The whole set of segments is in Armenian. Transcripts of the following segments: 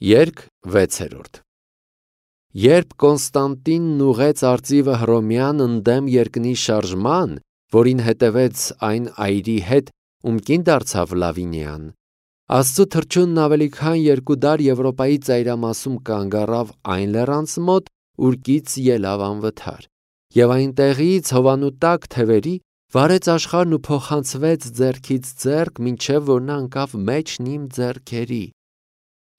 Երգ 6. Երբ Կոնստանտինն ուղեց արծիվը Հռոմյան ընդդեմ երկնի շարժման, որին հետևեց այն այրի հետ, ում կին դարձավ Լավինիան, Աստծու թռչունն ավելի քան 2 դար Եվրոպայի ծայրամասում կանգ առավ այն լեռանց մոտ, ուր կից ելավ անվթար, եւ այնտեղից հովանու տակ թևերի վարեց աշխարհն ու փոխանցվեց ձեռքից ձեռք, մինչև որ նա ընկավ մեջն իմ ձեռքերի։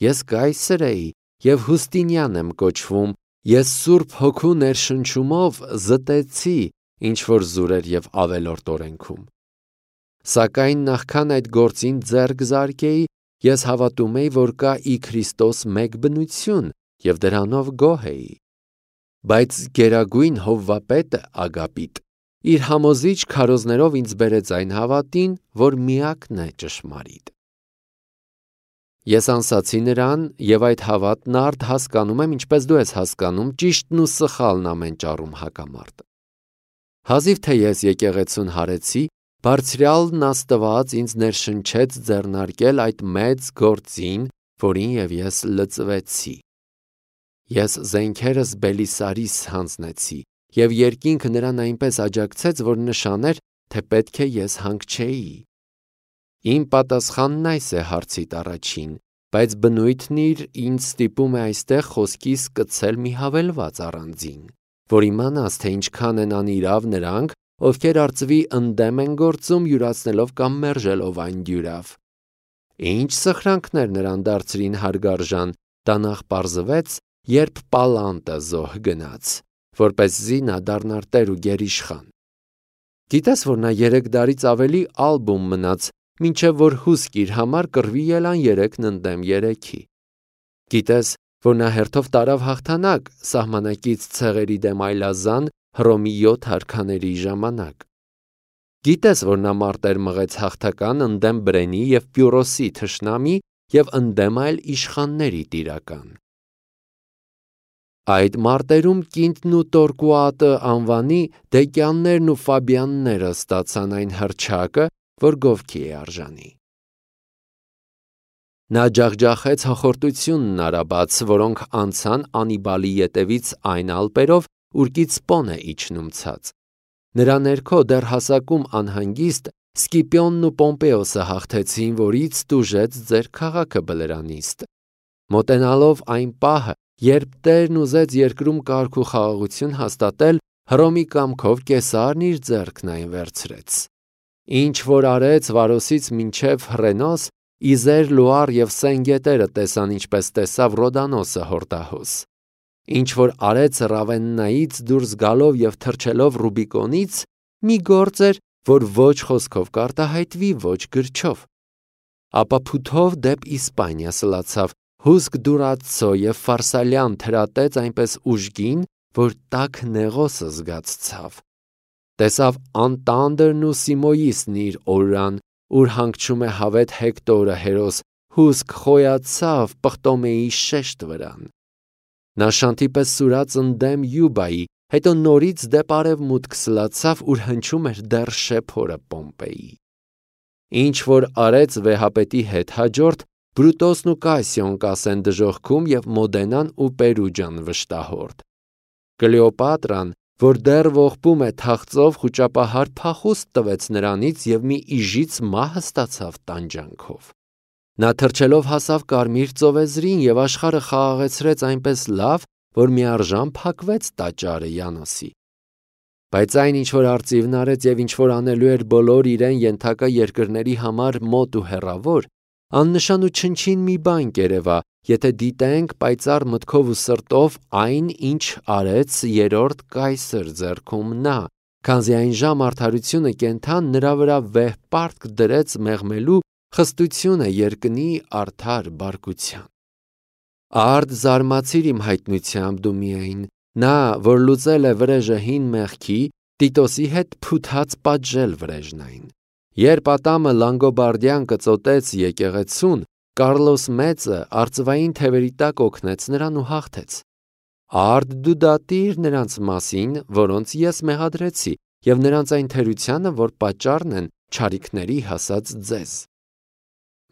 Ես կայսր էի եւ Հուստինյան եմ կոչվում, ես Սուրբ Հոգու ներշնչումով զտեցի, ինչ որ զուրեր եւ ավելորդ օրենքում։ Սակայն նախքան այդ գործին ձեռք զարկեի, ես հավատում էի, որ կա ի Քրիստոս մեկ բնություն եւ դրանով գոհ էի։ Բայց գերագույն Հովվապետը Ագապիտ իր համոզիչ քարոզներով ինձ բերեց այն հավատին, որ միակն է ճշմարիտ։ Ես անսացի նրան եւ այդ հավատն արդ հասկանում եմ, ինչպես դու ես հասկանում, ճիշտն ու սխալն ամեն ճառում հակամարտ։ Հազիվ թե ես եկեղեցուն հարեցի, Բարձրյալն Աստված ինձ ներշնչեց ձեռնարկել այդ մեծ գործին, որին եւ ես լծվեցի։ Ես զենքերս Բելիսարիս հանձնեցի, եւ երկինքը նրան այնպես աջակցեց, որ նշաներ, թե պետք է ես հանգչեի։ Իմ պատասխանն այս է հարցիդ առաջին, բայց բնույթն իր ինձ ստիպում է այստեղ խոսքիս կցել մի հավելված առանձին, որ իմանաս, թե ինչքան են անիրավ նրանք, ովքեր արծվի ընդդեմ են գործում, յուրացնելով կամ մերժելով այն դյուրավ։ Ինչ սխրանքներ նրան դարձրին հարգարժան, դա նախ պարզվեց, երբ Պալանտը զոհ գնաց, որպեսզի նա դառնար տեր ու գերիշխան։ Գիտես, որ նա 3 դարից ավելի ալբում մնաց, մինչև որ հուսք իր համար կռվի ելան 3-ն ընդդեմ 3-ի։ Գիտես, որ նա հերթով տարավ հաղթանակ սահմանակից ցեղերի դեմ այլազան Հռոմի 7 արքաների ժամանակ։ Գիտես, որ նա մարտեր մղեց հաղթական ընդդեմ Բրենի եւ Պյուրոսի թշնամի եւ ընդդեմ այլ իշխանների տիրական։ Այդ մարտերում Կինտն ու Տորկուատը անվանի Դեկյաններն ու Ֆաբիանները ստացան այն հռչակը, որ գովքի է արժանի։ Նա ջախջախեց հոխորտությունն արաբաց, որոնք անցան Անիբալի ետևից այն ալպերով, ուր Պոն է իջնում ցած։ Նրա ներքո դեռ հասակում անհանգիստ Սկիպիոնն ու Պոմպեոսը հաղթեցին, որից տուժեց ձեր քաղաքը Բլերանիստ։ Մոտենալով այն պահը, երբ Տերն ուզեց երկրում կարգ ու խաղաղություն հաստատել, Հռոմի կամքով Կեսարն իր ձեռքն այն վերցրեց։ Ինչ որ արեց Վարոսից մինչև Հռենոս, Իզեր, Լուար եւ Սեն գետերը տեսան, ինչպես տեսավ Ռոդանոսը հորդահոս։ Ինչ որ արեց Ռավեննայից դուրս գալով եւ թռչելով Ռուբիկոնից, մի գործ էր, որ ոչ խոսքով կարտահայտվի, ոչ գրչով։ Ապա փութով դեպ Իսպանիա սլացավ, հուսք Դուրացո եւ Ֆարսալյան թրատեց այնպես ուժգին, որ տաք նեղոսը զգացցավ։ Տեսավ Անտանդրն ու Սիմոյիսն իր օրրան, ուր հանգչում է հավետ Հեկտորը հերոս, հուսք խոյացավ Պղտոմեի շեշտ վրան։ Նա շանթի պես սուրաց ընդդեմ Յուբայի, հետո նորից դեպ արևմուտք սլացավ, ուր հնչում էր դեռ շեփորը Պոմպեի։ Ինչ որ արեց վեհապետի հետ հաջորդ, Բրուտոսն ու Կասիոն կասեն դժոխքում եւ Մոդենան ու Պերուջան վշտահորդ։ Կլեոպատրան, որ դեռ ողբում է թախծով, խուճապահար փախուստ տվեց նրանից եւ մի իժից մահը ստացավ տանջանքով։ Նա թռչելով հասավ Կարմիր ծովեզրին եւ աշխարհը խաղաղեցրեց այնպես լավ, որ միարժան փակվեց տաճարը Յանոսի։ Բայց այն, ինչ որ արծիվն արեց եւ ինչ որ անելու էր բոլոր իրեն ենթակա երկրների համար մոտ ու հեռավոր, աննշան ու չնչին մի բան կերևա, եթե դիտենք պայծառ մտքով ու սրտով այն, ինչ արեց երրորդ կայսր ձեռքում նա, քանզի այն ժամ արդարությունը կենթան նրա վրա վեհ պարտք դրեց մեղմելու խստությունը երկնի արդար բարկության։ Արդ զարմացիր իմ հայտնությամբ դու միայն, նա, որ լուծել է վրեժը հին մեղքի, Տիտոսի հետ փութած պատժել վրեժն այն։ Երբ Ատամը Լանգոբարդյան կծոտեց եկեղեցուն, Կարլոս Մեծը արծվային թևերի տակ օգնեց նրան ու հաղթեց։ Արդ դու դատիր նրանց մասին, որոնց ես մեղադրեցի, եւ նրանց այն թերությանը, որ պատճառն են չարիքների հասած ձեզ։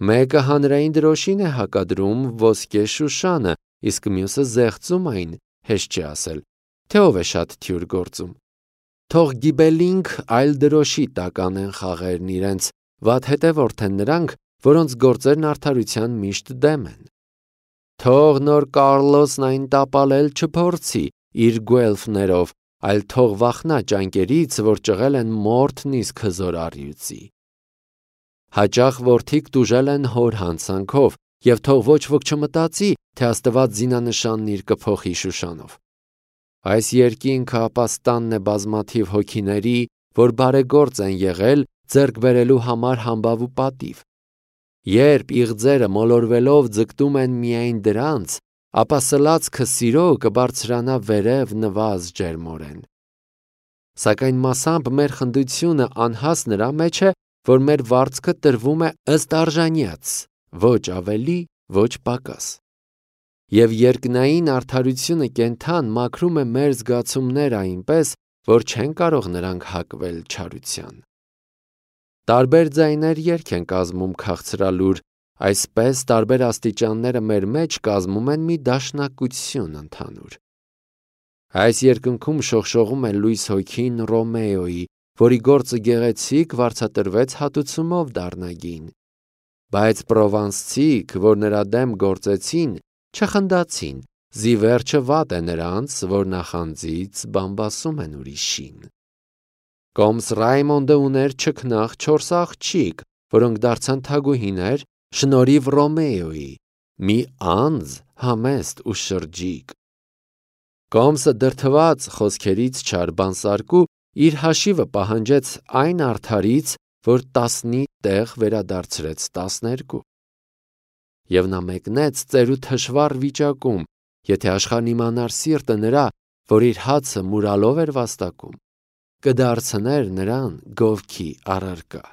Մեկը հանրային դրոշին է հակադրում ոսկե Շուշանը, իսկ մյուսը զեղծում այն, հեշտ չի ասել, թե ով է շատ թյուր գործում։ Թող գիբելինք այլ դրոշի տակ անեն խաղերն իրենց, վատ հետևորդ են նրանք, որոնց գործերն արդարության միշտ դեմ են։ Թող նոր Կարլոսն այն տապալել չփորձի իր գուելֆներով, այլ թող վախնա ճանկերից, որ ճղել են մորթն իսկ հզոր առյուծի։ Հաճախ որդիկ տուժել են հոր հանցանքով, և թող ոչ ոք չմտածի, թե Աստված զինանշանն իր կփոխի Շուշանով։ Այս երկինքը ապաստանն է բազմաթիվ հոգիների, որ բարեգործ են եղել ձեռք բերելու համար համբավ ու պատիվ։ Երբ իղձերը մոլորվելով ձգտում են միայն դրանց, ապա սլացքը սիրո կբարձրանա վերև նվազ ջերմորեն։ Սակայն մասամբ մեր խնդությունը անհաս նրա մեջ է, որ մեր վարձքը տրվում է ըստ արժանյաց, ոչ ավելի, ոչ պակաս։ Եվ երկնային արդարությունը կենթան մաքրում է մեր զգացումները այնպես, որ չեն կարող նրանք հակվել չարության։ Տարբեր ձայներ երգ են կազմում քաղցրալուր, այսպես տարբեր աստիճանները մեր մեջ կազմում են մի դաշնակություն ընդհանուր։ Այս երկնքում շողշողում է լույս հոգին Ռոմեոյի, որի գործը գեղեցիկ վարձատրվեց հատուցումով դառնագին, բայց պրովանսցիք, որ նրա դեմ գործեցին, չխնդացին, զիվերջը վատ է նրանց, որ նախանձից բամբասում են ուրիշին։ Կոմս Ռայմոնդը ուներ չքնաղ 4 աղջիկ, որոնք դարձան թագուհիներ շնորհիվ Ռոմեոյի, մի անձ համեստ ու շրջիկ։ Կոմսը դրդված խոսքերից չար բանսարկու իր հաշիվը պահանջեց այն արդարից, որ 10-ի տեղ վերադարձրեց 12։ Եվ նա մեկնեց ծերու թշվառ վիճակում, եթե աշխարհն իմանար սիրտը նրա, որ իր հացը մուրալով էր վաստակում, կդարձներ նրան գովքի առարկա։